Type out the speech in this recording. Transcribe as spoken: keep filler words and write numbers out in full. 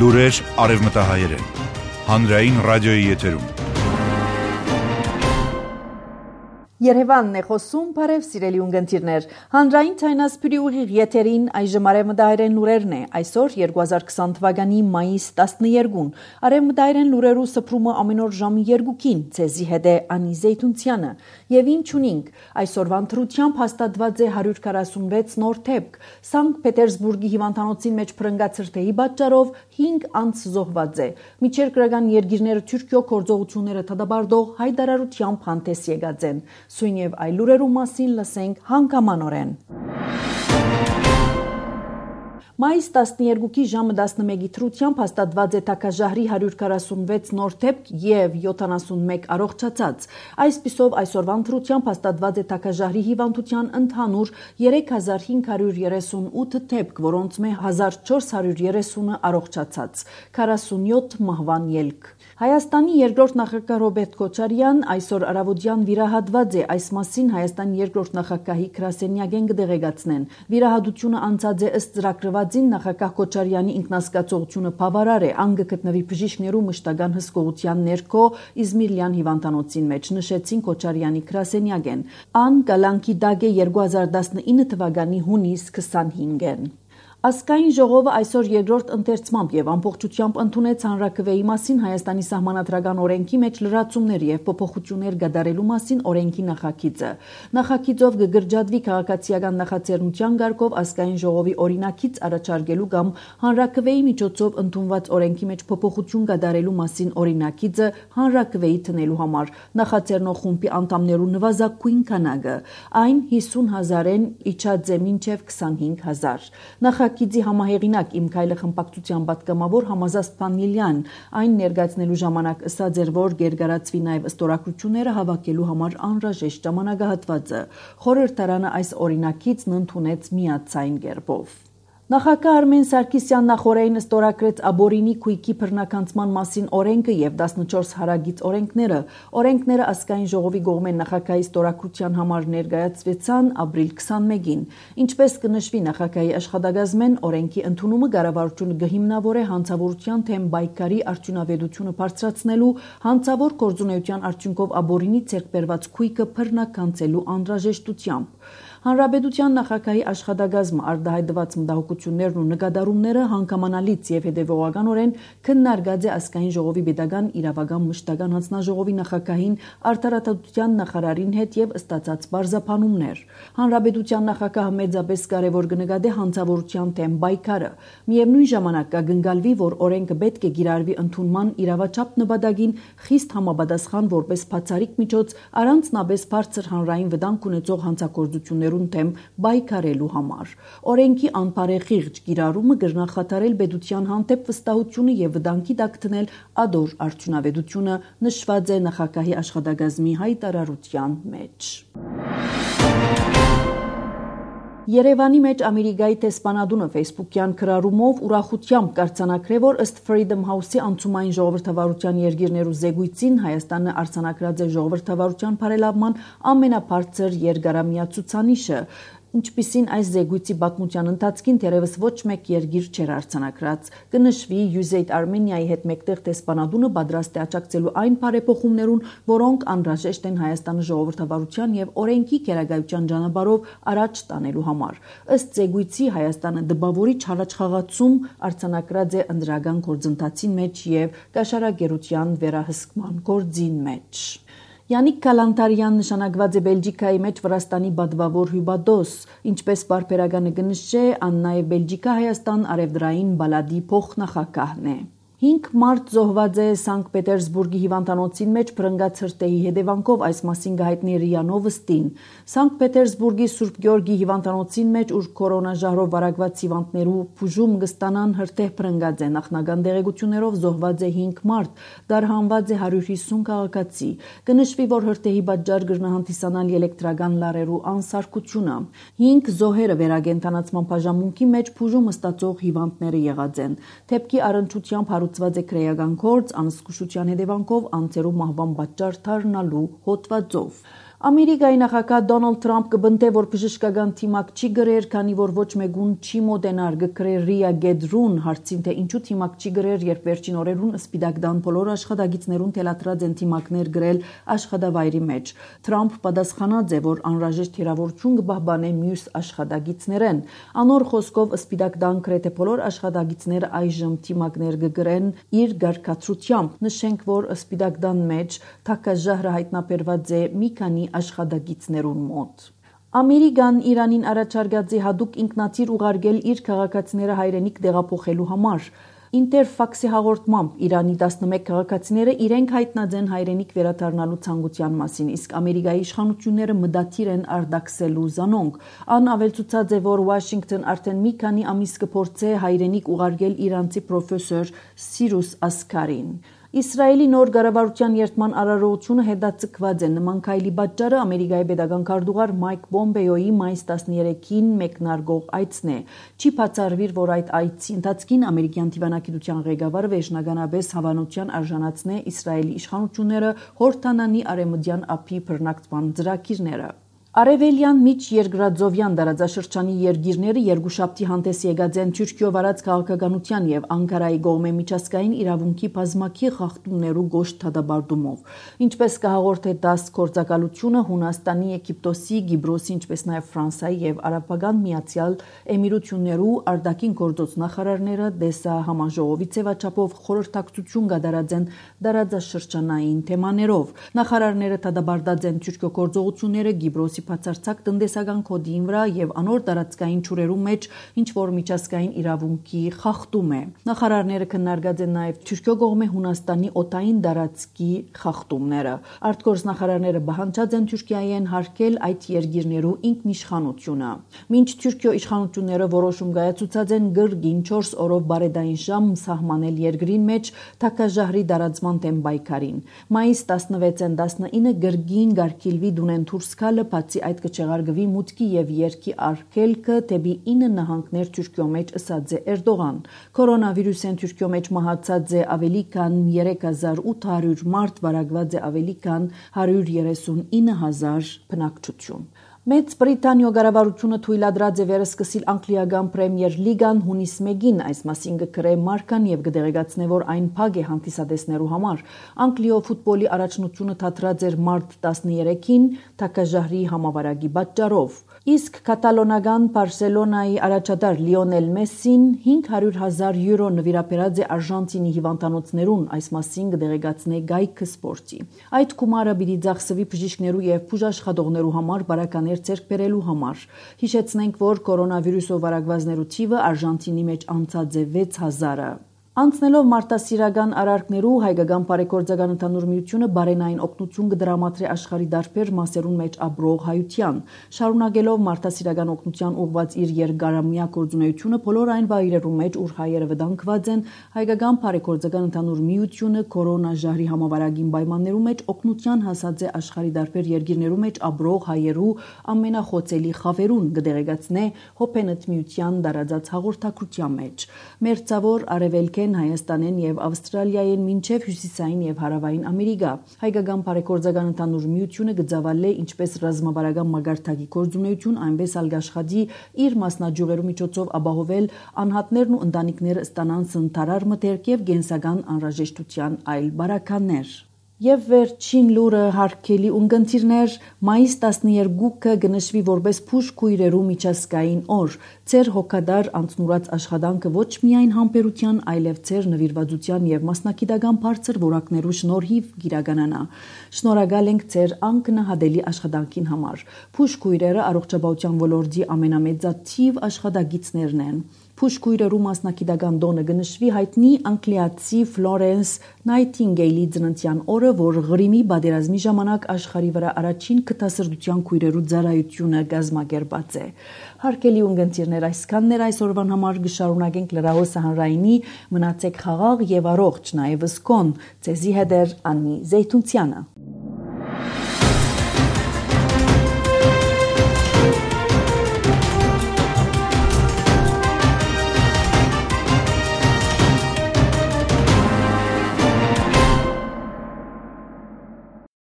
Լուրեր արևմտահայերեն։ Հանրային ռադիոյի եթերում։ Երևանն է խոսում, բարև սիրելի ունգընտիրներ։ Հանրային ցայնասպիրի ուղիղ եթերին այժմ արևմտահայերեն լուրերն է։ Այսօր երկու հազար քսան թվականի մայիս տասներկուն։ Արևմտահայերեն լուրերու սփռումը ամեն օր ժամի երկուքին, ցեզի հետ է Անի Զեյթունցյանը։ Եվ ինչ ունենք, այսօրվա ընտրությամբ հաստատված է հարյուր քառասունվեց նոր դեպք։ Սանկտ Պետերսբուրգի հիվանդանոցին մեջ փրկած հրթեհի պատճառով հինգ անձ զոհված է։ Միջերկրական երկիրները Թուրքիո գործողությունները դադարեցող հայտարարությամբ հանդես եկած են։ Սույն եւ այլ լուրերու մասին լսենք հանգամանորեն։ Մայիս տասներկուի ժամը տասնմեկի թրությամբ հաստատված է Թակաժահրի հարյուր քառասունվեց նոր դեպք եւ յոթանասունմեկ առողջացած։ Այսպիսով այսօրվա ընտրությամբ հաստատված է Թակաժահրի հիվանդության ընդհանուր երեք հազար հինգ հարյուր երեսունութ դեպք, որոնց մե հազար չորս հարյուր երեսունը առողջացած, քառասունյոթ մահվան ելք։ Հայաստանի երկրորդ նախագահ Ռոբերտ Քոչարյան այսօր առավոտյան վիրահատված է, այս մասին Հայաստանի երկրորդ նախագահի գրասենյակեն կդեղեկացնեն։ Վիրահատությունը անցած է ըստ ծրագրվածին նախագահ Քոչարյանի ինքնասկացողությունը բավարար է, ան գտնվի բժիշկներու մշտական հսկողության ներքո Իզմիրլյան հիվանդանոցին մեջ, նշեցին Քոչարյանի գրասենյակեն։ Ան կալանքի դակ է երկու հազար տասնինը թվականի հունիս քսանհինգին։ Ազգային ժողովը այսօր երկրորդ ընթերցմամբ եւ ամբողջությամբ ընդունեց հանրաքվեի մասին Հայաստանի սահմանադրական օրենքի մեջ լրացումներ եւ փոփոխություններ կատարելու մասին օրենքի նախագիծը։ Նախագիծով կգրջադվի քաղաքացիական նախաձեռնության ղեկով ազգային ժողովի օրինակից առաջարկելու կամ հանրաքվեի միջոցով ընդունված օրենքի մեջ փոփոխություն կատարելու մասին օրինակիցը հանրաքվեի տնելու համար նախաձեռնող խումբի անդամներու նվազագույն քանակը այն հիսուն հազարեն իջած է մինչեւ քսանհինգ հազար։ Նախագիծի համահեղինակ Իմ քայլը խմբակցության պատգամավոր Համազաստ Փանիլյան այն ներկայացնելու ժամանակ ըսած էր, որ գերգարացվի նաև ստորագրությունները հավաքելու համար անհրաժեշտ ժամանակահատվածը։ Խորհրդարանը այս օրինակիցն ընդունեց միացային կերպով։ Նախագահ Արմեն Սարգսյան նախորդին ստորագրեց Աբորինի քույքի բռնականցման մասին օրենքը եւ տասնչորս հարագից օրենքները։ Օրենքները ազգային ժողովի կողմեն նախագահի ստորագրության համար ներկայացվեցան ապրիլ քսանմեկին։ Ինչպես կնշվի նախագահի աշխատակազմեն, օրենքի ընդունումը կառավարությունը կհիմնավորե հանցավորության թեմ պայքարի արդյունավետությունը բարձրացնելու, հանցավոր գործունեության արդյունքով Աբորինի ձեռքբերված քույքը բռնականցելու անհրաժեշտությամբ։ Հանրապետության նախագահի աշխատակազմը արտահայտված մտահոգություններն ու նկատառումները հանգամանալից եւ հետեւողականորեն քննարկած է ազգային ժողովի պետական իրավական մշտական հանձնաժողովի նախագահին, արդարադատության նախարարին հետ եւ ստացած բարձրաբանումներ։ Հանրապետության նախագահը մեծապես կարեւոր կնկատի հանցավորության թեմ պայքարը։ Միևնույն ժամանակ կգնկալվի, որ օրենքը պետք է գիրառվի ընդունման իրավաչափ նպատակին խիստ համապատասխան որպես բացառիկ միջոց առանձնապես բարձր հանրային վտանգ ունեցող հանցագործություններ թեմ պայքարելու համար։ Օրենքի անբարեխիղճ կիրառումը կնախադարել պետության հանդեպ վստահությունը եւ վտանգի տակ դնել ադոր արդյունավետությունը, նշված է նախագահի աշխատակազմի հայտարարության մեջ։ Երևանի մեջ Ամերիկայի տեսփանադունը ֆեյսբուքյան քրարումով ուրախությամբ կարձանակրե, որ ըստ Freedom House-ի անցումային ժողովրդավարության երկիրներու զեկույցին Հայաստանը արձանագրած է ժողովրդավարության բարելավման ամենաբարձր երկարամյա ցուցանիշը, ինչպիսին այս զեկույցի պատմության ընթացքին թերևս ոչ մեկ երկիր չէր արձանագրած։ Կնշվի յու էս էյդ Armenia-ի հետ մեկտեղ տեսփանադունը պատրաստ է աջակցելու այն բարեփոխումներուն, որոնք անհրաժեշտ են Հայաստանի ժողովրդավարության եւ օրենքի քերագայության ճանապարհով առաջ տանելու համար։ Ըստ զեկույցի Հայաստանը դպավորիչ առաջխաղացում արձանագրած է ընդրական գործընթացի մեջ եւ կաշառակերության վերահսկման գործին մեջ։ Յանիկ Կալանտարյան նշանակված է Բելգիկայի մեջ Վրաստանի պատվավոր հյուպատոս, ինչպես բարբերականը կնշե, ան նաև Բելգիկա Հայաստան արևդրային բալադի փոխնախագահն է։ Հինգ մարդ զոհված է Սանկտ Պետերսբուրգի հիվանդանոցին մեջ փրկած հրթեհի հետևանքով, այս մասին կհայտնի ՌԻԱ Նովոստին։ Սանկտ Պետերսբուրգի Սուրբ Գեորգի հիվանդանոցին մեջ, ուր կորոնաժահրով վարակված հիվանդներու բուժում կստանան, հրթեհ փրկած է։ Նախնական տեղեկություններով զոհված է հինգ մարդ, դարհանված է հարյուր հիսուն քաղաքացի։ Կնշվի, որ հրթեհի պատճառ կրնահանդիսանալ էլեկտրական լարերու անսարքությունը։ Հինգ զոհերը վերակենդանացման բաժանմունքի մեջ բուժում ստացող հիվանդները եղած են։ Դեպքի առնչությամբ հարուցված է քրեական գործ անզգուշության հետևանքով անձերու մահվան պատճառ դառնալու հոդվածով։ Ամերիկայի նախագահ Դոնալդ Թրամփ կբնթե, որ բժշկական թիմակ չի գրեր, քանի որ ոչ մեկուն չի մոդենար գկրեր Ռիա Գեդրուն, հարցին թե ինչու թիմակ չի գրեր, երբ վերջին օրերուն Սպիտակ Տան բոլոր աշխատագիծներուն թելադրած են թիմակներ գրել աշխատավայրի մեջ։ Թրամփ պատասխանած է, որ անհրաժեշտ հրավերություն կպահպանե մյուս աշխատագիծներեն։ Անոր խոսքով Սպիտակ Տան գրեթե բոլոր աշխատագիծները այժմ թիմակներ կգրեն իր գարկացությամբ։ Նշենք, որ Սպիտակ Տան մեջ թակաժահրը հայտնաբերված է մի քանի աշխատագիծներուն մոտ։ Ամերիկան Իրանին առաջարկած է հատուկ ինքնաթիռ ուղարկել իր քաղաքացիները հայրենիք տեղափոխելու համար։ Ինտերֆաքսի հաղորդմամբ Իրանի տասնմեկ քաղաքացիները իրենք հայտնած են հայրենիք վերադառնալու ցանկության մասին, իսկ Ամերիկայի իշխանությունները մտադիր են արտաքսելու զանոնք։ Ան ավելցուցած է, որ Վաշինգտոն արդեն մի քանի ամիս կփորձե հայրենիք ուղարկել իրանցի պրոֆեսոր Սիրուս Ասքարին։ Իսրայելի նոր կառավարության երթման արարողությունը հետաձգված է։ Նման քայլի պատճառը Ամերիկայի պետական քարտուղար Մայք Պոմպեոյի մայիս տասներեքին մեկնարկող այցն է։ Չի բացառվիր, որ այդ այցի ընթացքին ամերիկյան դիվանագիտության ղեկավարը վերջնականապես հավանության արժանացնե Իսրայելի իշխանությունները հորդանանի արևմտյան ափի բռնակցման ծրագիրները։ Արևելյան միջ երկրածովյան տարածաշրջանի երկիրները երկուշաբթի հանդես եկած են Թուրքիո վարած քաղաքականության եւ Անկարայի կողմէ միջազգային իրավունքի բազմակի խախտումներու գոշտ դատապարտումով։ Ինչպես կհաղորդե ՏԱՍՍ գործակալությունը, Հունաստանի, Եգիպտոսի, Կիպրոսի, ինչպես նաեւ Ֆրանսիայի եւ Արաբական Միացյալ Էմիրություններու արտաքին գործոց նախարարները դեսա համաժողովի ձևաչափով խորհրդակցություն կատարած են տարածաշրջանային թեմաներով։ Նախարարները դատապարտած են Թուրքիո գործողությունները Կիպրոսի բացարձակ տնտեսական կոդին վրա եւ անոր տարածքային ճուրերու մեջ ինչ որ միջազգային իրավունքի խախտում է։ Նախարարները քննարկած են նաեւ Թուրքիո կողմէ Հունաստանի օտային տարածքի խախտումները։ Արտգործ նախարարները բանջած են Թուրքիային հարկել այդ երկիրներու ինքնիշխանությունը։ Մինչ Թուրքիո իշխանությունները որոշում կայացուցած են գրգին չորս օրով բարեդային ժամ սահմանել երկրին մեջ թակաժահրի տարածման դեմ պայքարին։ Մայիս տասնվեցին տասնինը գրգին գարկիլվի դունեն դուրս գալը այդ կչեղարգվի մուտքի եւ երկի արգելքը դեպի ինը նահանգներ Թուրքիո մեջ ըսած է Էրդողան։ Կորոնավիրուսեն Թուրքիո մեջ մահացած է ավելի քան երեք հազար ութ հարյուր մարդ, վարակված է ավելի քան հարյուր երեսունինը հազար բնակչություն։ Մեծ Բրիտանիո կառավարությունը թույլատրած է վերսկսիլ անգլիական պրեմիեր լիգան հունիս մեկին, այս մասին կգրե մարկան եւ կդեղեկացնե, որ այն փակ է հանդիսատեսներու համար։ Անգլիո ֆուտբոլի առաջնությունը թատրած էր մարտ տասներեքին թակաժահրի համավարակի պատճառով։ Իսկ կատալոնական Բարսելոնայի առաջատար Լիոնել Մեսսին հինգ հարյուր հազար յուրո նվիրաբերած է Արժանտինի հիվանդանոցներուն, այս մասին կդեղեկացնե Գայքը Սպորտի։ Այդ գումարը պիտի ծախսվի բժիշկներու եւ բուժաշխատողներու համար բարականեր ձեռք բերելու համար։ Հիշեցնենք, որ կորոնավիրուսով վարակվածներու թիվը Արժանտինի մեջ անցած է վեց հազարը։ Անցնելով մարտահրավերական արարքներու հայկական բարեգործական ընդհանուր միությունը բարենային օգնություն կդրամատրի աշխարհի դարբեր մասերուն մեջ ապրող հայության, շարունակելով մարտահրավերական օգնության ուղղված իր երկարամյա գործունեությունը բոլոր այն վայրերում մեջ, ուր հայերը վտանգված են, հայկական բարեգործական ընդհանուր միությունը կորոնաժահրի համավարակին պայմաններու մեջ օգնության հասած է աշխարհի դարբեր երկիրներու մեջ ապրող հայերու ամենախոցելի խավերուն, կդեղեկացնե Հոփենետ միության դարաձած հաղորդակցության մեջ։ Մերձավոր արևելք Հայաստանեն եւ Ավստրալիայեն մինչեւ հյուսիսային եւ հարավային Ամերիկա։ Հայկական բարեգործական ընդհանուր միությունը գծավալե ինչպես ռազմավարական մագարտակի գործունեություն, այնպես ալ աշխատի իր մասնաճյուղերու միջոցով ապահովել անհատներն ու ընտանիքները ստանան սնթարար մտերք եւ գենսական անհրաժեշտության այլ բարականներ։ Եվ վերջին լուրը հարգելի ունկնդիրներ, մայիս տասներեքը գնշվի որպես փուշ քույրերու միջազգային օր։ Ձեր հոգադար անցնուրած աշխատանքը ոչ միայն համբերության, այլև ձեր նվիրվածության եւ մասնակիտական բարձր որակներու շնորհիվ գիրականանա։ Շնորհակալ ենք ձեր անկնահատելի աշխատանքին համար։ Փուշ քույրերը առողջապահության ոլորտի ամենամեծաթիվ աշխատագիծներն են։ Փուշ քույրերու մասնակիտական տոնը գնշվի հայտնի անգլիացի Ֆլորենս Նայթինգեյլի ծննդյան օրը, որ Ղրիմի պատերազմի ժամանակ աշխարհի վրա առաջին քթասրտության քույրերու ծառայությունը կազմակերպած է։ Հարգելի ունկնդիրներ, այսքանն էր այսօրվան համար, կշարունակենք լրահոսը հանրայինի, մնացեք խաղաղ եւ առողջ, նաեւ սկոն, ցեզի հետ է Անի Զեյթունցյանը։